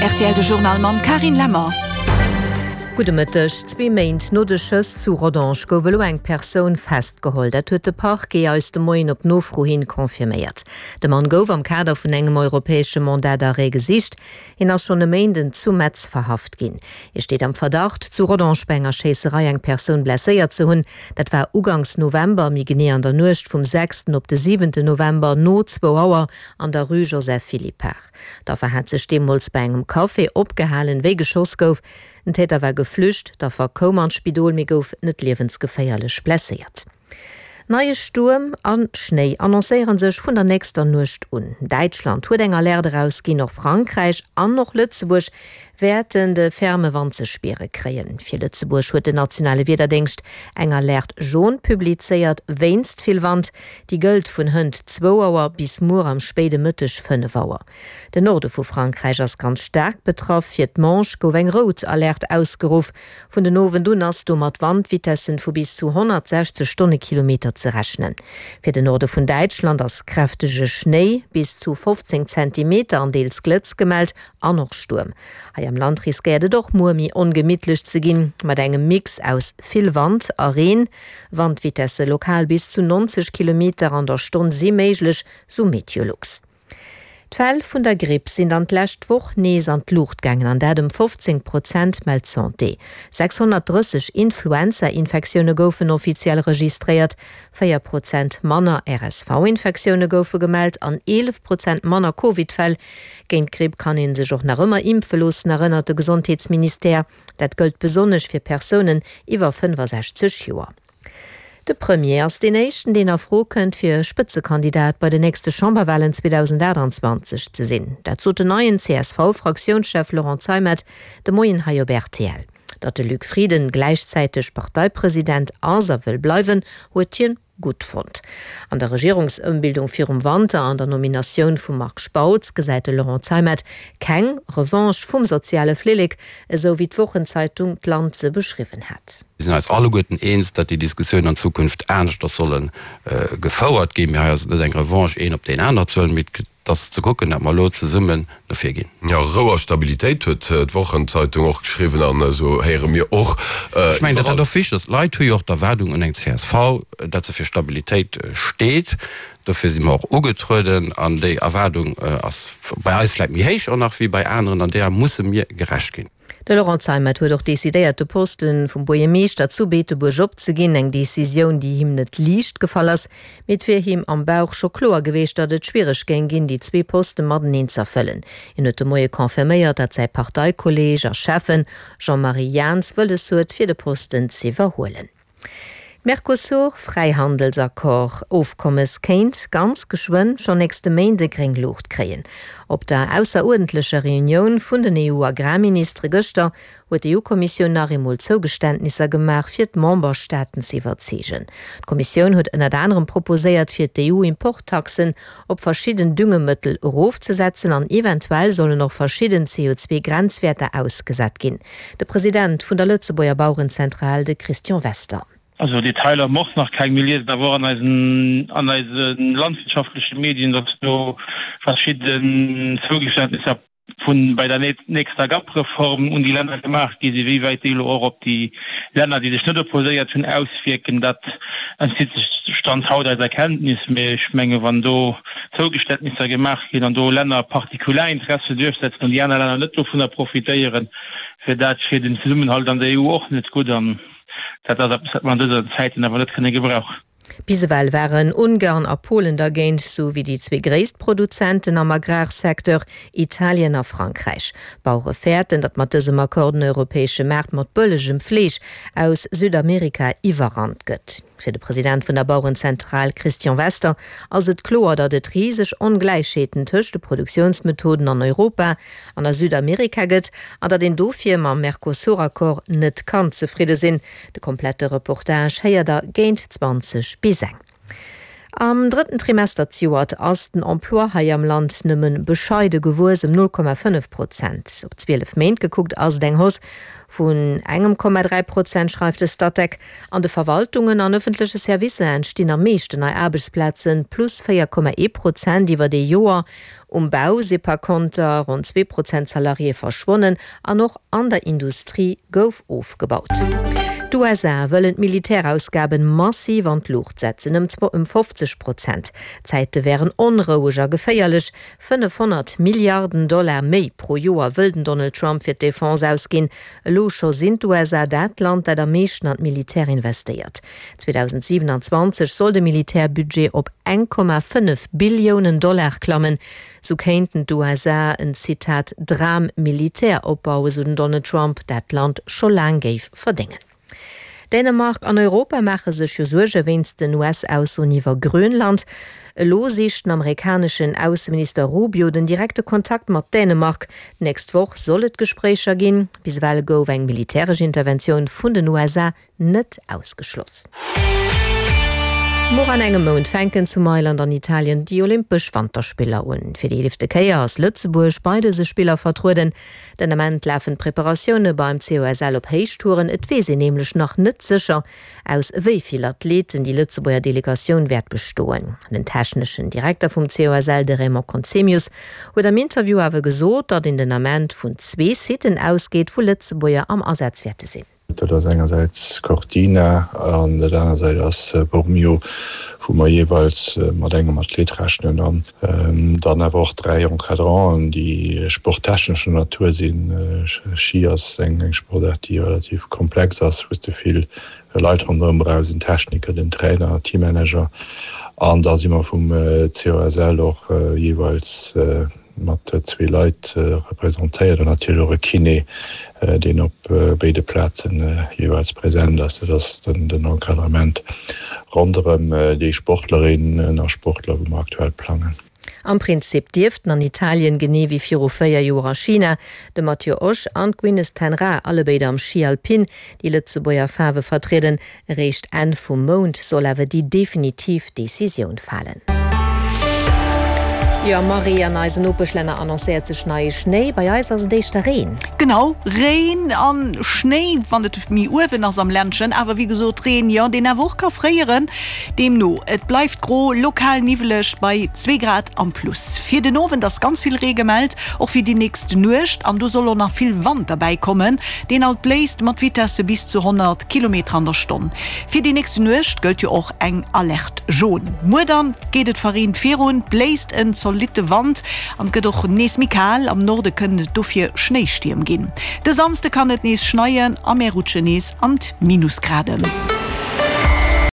Rtl de Journal mam Carine Lemmer. Gudde Mëtteg. Zwee Méint no de Schëss zu Rodange gouf elo eng Persoun festgeholl. Dat huet de Parquet eis de Moien op Nofro hin confirméiert. De Mann gouf am Kader vun engem europäesche Mandat d'arrêt gesicht. Hien ass schonn e Méinden zu Metz verhaft ginn. Hie steet am Verdacht, zu Rodange bei enger Schéisserei eng Persoun blesséiert ze hunn. Dat war uganks November, méi genee an der Nuecht vum sechsten op de siwente November no zwou Auer an der Rue Joseph Philippart. D'Affer hat sech deemools bei engem Café opgehalen, wéi geschoss gouf. Den Täter war geflücht, d'Affer koum an d'Spidol, mee gouf net liewensgeféierlech blesséiert. Neie Stuerm a Schnéi annoncéiere sech vun der nächster Nuecht un. Däitschland huet eng Alerte erausginn, och Frankräich an och Lëtzebuerg wäerten de ferme Wand ze spiere kréien. Fir Lëtzebuerg huet den nationale Wiederdéngscht eng Alerte jaune publizéiert wéinst vill Wand. Déi gëllt vun hënt zwou Auer bis muer am spéide Mëtteg 5 Auer. Den Norde vu Frankräich ass ganz staark betraff. Fir d'Manche gouf eng rout Alerte ausgeruff. Vun den Owend un ass do mat Wandvitessen vu bis zu 160 Stonnekilometer ze rechnen. Fir den Norde vun Däitschland ass kräftege Schnéi, bis zu 15 Zentimeter, an deels Glëtz gemellt an och Stuerm. Hei am Land riskéiert et och muer méi ongemittlech ze ginn, mat engem Mix aus vill Wand a Reen. Wandvitesse lokal bis zu 90 Kilometer an der Stonn si méiglech, sou Meteolux. D'Fäll vun der Gripp sinn dann d'lescht Woch nees an d'Luucht gaangen, an dat ëm 15 Prozent, mellt d'Santé. 630 Influenza-Infektioune goufen offiziell registréiert, 4 Prozent manner RSV-Infektioune goufe gemellt an 11 Prozent manner Covid-Fäll. Géint d'Gripp kann ee sech och nach ëmmer impfe loossen, erënnert de Gesondheetsministère. Dat gëllt besonnesch fir Persounen iwwer 65 Joer. De Premier ass deen éischten, deen a Fro kënnt, fir Spëtzekandidat bei den nächste Chamberwalen 2028 ze sinn. Dat sot den neien CSV-Fraktiounschef Laurent Zeimet de Moien hei op rtl. Datt de Luc Frieden gläichzäiteg Parteipresident ass a wëll bleiwen, huet hien gutt fonnt. An der Regierungsëmbildung virum Wanter an der Nominatioun vum Marc Spautz gesäit de Laurent Zeimet keng Revanche vum soziale Flillek, esou wéi d'Wochenzeitung d'Land se beschriwwen hat. Mir sinn eis alleguerten eens, datt déi Diskussiounen an Zukunft aneschters solle gefouert ginn. Mee hei ass et net eng Revanche, een op deen aner ze huelen, mee et ass ze kucken, datt mer elo zesummen no vir ginn. Jo, Rou a Stabilitéit huet d'Wochenzeitung och geschriwwen an esou héiere mir och Ech mengen, datt dat och wichteg ass. D'Leit hu jo och d'Erwaardung un eng csv, datt se fir Stabilitéit steet. Dofir si mer och ugetrueden an déi Erwaardung ass bei eis vläicht méi héich och nach wéi bei aneren an deeër musse mir gerecht ginn. De Laurent Zeimet huet och decidéiert, de Poste vum Buergermeeschter zu Beetebuerg opzeginn. Eng Decisioun, déi him net liicht gefall ass, mee et wier him am Bauch scho kloer geweecht, datt et schwiereg géing ginn, déi zwee Poste mateneen z'erfëllen. Hien huet de Moie confirméiert, datt säi Parteikolleeg a Schäffen Jean-Marie Jahns wëlles huet, fir de Posten z'iwwerhuelen. D'Mercosur-Fräihandelsaccord Ofkommes kéint ganz geschwënn, schonn nächste Méinde, gréng Luucht kréien. Op der ausseruerdentlecher Reunioun vun den EU-Agrarministere gëschter huet d'EU-Kommissioun nach eemol Zougeständnisser gemaach, fir d'Memberstaaten ze iwwerzeegen. D'Kommissioun huet ënnert anerem proposéiert, fir d'EU-Importtaxen op verschidden Düngemëttel erofzesetzen an eventuell sollen och verschidden CO2-Grenzwäerter ausgesat ginn. De President vun der Lëtzebuerger Bauerenzentral, de Christian Wester. Also Detailer hu mer och nach keng. Mir liesen awer och an eisen an eise landwirtschaftleche Medien, datt do verschidden Zougeständnisser vun bei der nächster GAP-Reform un déi Länner gemaach gi sinn. Wéi wäit déi elo och op déi Länner, déi sech net opposéiert hunn, auswierken, dat entzitt sech Stand haut eiser Kenntnis. Mee ech menge wann do Zougeständnisser gemaach ginn an do Länner Partikularinteresse duerchsetzen an déi aner Länner net dovunner profitéieren, wier dat fir den Zesummenhalt an der EU och net gutt. An dat ass eppes, wat mer an dëser Zäiten awer net kënne gebrauchen. Bis ewell waren Ungarn a Polen dergéint, sou wéi déi zwee gréisst Produzenten am Agrarsecteur, Italien a Frankräich. D'Bauere fäerten, datt mat dësem Accord den europäesche Maart mat bëllegem Fleesch aus Südamerika iwwerrannt gëtt. Fir de President vun der Bauerenzentral Christian Wester ass et kloer, datt et riseg Ongläichheeten tëscht de Produktiounsmethoden an Europa an a Südamerika gëtt an datt een dofir mam Mercosur-Accord net kann zefridde sinn. De komplette Reportage héiert der géint 20 bis eng. Am drëtten Trimester zejoert ass den Emploi hei am Land nëmme bescheide gewuess, ëm 0,5 Prozent. Op 12 Méint gekuckt ass et eng Hausse. Vun engem Komma 3 Prozent, schreift de Statec. An de Verwaltungen an ëffentleche Servicer entstinn am meeschten nei Aarbechtsplazen, plus 4,1 Prozent iwwert ee Joer. Um Bau si par konter ronn 2 Prozent Salariéë verschwonnen an och an der Industrie gouf ofgebaut. D'USA wëllen d'Militärausgaben massiv an d'Luucht setzen, ëm 50 Prozent. D'Zäite wären onroueg a geféierlech. 500 Milliarden Dollar méi pro Joer wëll den Donald Trump fir d'Defense ausginn. Elo scho sinn d'USA dat Land, dat am meeschten an d'Militär investéiert. 2027 soll de Militärbudget op 1,5 Billiounen Dollar klammen. Sou kéinten d'USA en, Zitat, Dram-Militär opbauen, sou den Donald Trump, dat d'Land scho laang géif verdéngen. Dänemark an Europa maache sech jo Suerge wéinst den US-Aussoen iwwer Grönland. Elo sicht den amerikaneschen Ausseminister Rubio den direkte Kontakt mat Dänemark. D'nächst Woch soll et Gespréicher ginn. Bis ewell gouf eng militäresch Interventioun vun den USA net ausgeschloss. Muer an engem Mount fänken zu Mailand an Italien déi Olympesch Wanterspiller un. Fir déi eelefte Kéier ass Lëtzebuerg bei dëse Spiller vertrueden. Den Ament lafen d'Preparatioune beim COSL op Héichtouren. Et weess een nämlech nach net sécher, aus wéi vill Athleten déi Lëtzebuerger Delegatioun wäert bestoen. Den techneschen Direkter vum COSL, de Raymond Conzemius, huet am Interview awer gesot, datt een den Ament vun zwee Siten ausgeet, wou Lëtzebuerger am Asaz wäerte sinn. Dat ass engersäits Cortina an dat aner Säit ass Bormio, wou mer jeeweils mat engem Athlet rechnen an dann awer och 3 Encadranten, déi sporttechnescher Natur sinn. Schi ass eng Sportaart, déi relativ komplex ass, wou s de vill Leit ronderëm brauchs, en Techniker, den Trainer, Teammanager an da si mer vum COSL och jeeweils mat zwee Leit representéiert an natierlech och e Kiné, deen op béide Plazen jeeweils present ass. Dat ass den Encadrement ronderëm déi Sportlerinnen a Sportler, wou mer aktuell plangen. Am Prinzip dierften an Italien, genee wéi viru 4 Joer a China, de Matthieu Osch an d'Gwyneth Ten Raa, allebéid am Schi Alpin, déi Lëtzebuerger Faarwe vertrieden. Eréischt Enn vum Mount soll awer déi definitiv Decisioun falen. Jo Marie, an eisen Nopeschlänner annoncéiert sech neie Schnéi, bei eis ass et éischter Reen. Genau, Reen an Schnéi, wann et méi uewen ass am Ländchen, awer wéi gesot Reen, jo, deen awer och ka fréieren. Deemno, et bleift gro, lokal niwweleg bei zwee Grad am Plus. Fir den Owend ass ganz vill Ree gemellt, och fir déi nächst Nuecht, an do soll och nach vill Wand derbäi kommen. Deen alt bléist mat Vitesse bis zu 100 Kilometer an der Stonn. Fir déi nächst Nuecht gëllt jo och eng Alerte jaune. Muer dann geet et verreent virun, bléist en zolitte Wand an et gëtt och nees méi kal. Am Norde kënnen et dofir Schnéistierm ginn. De Samsde kann et nees schneien a mär rutschen nees an d'Minusgraden.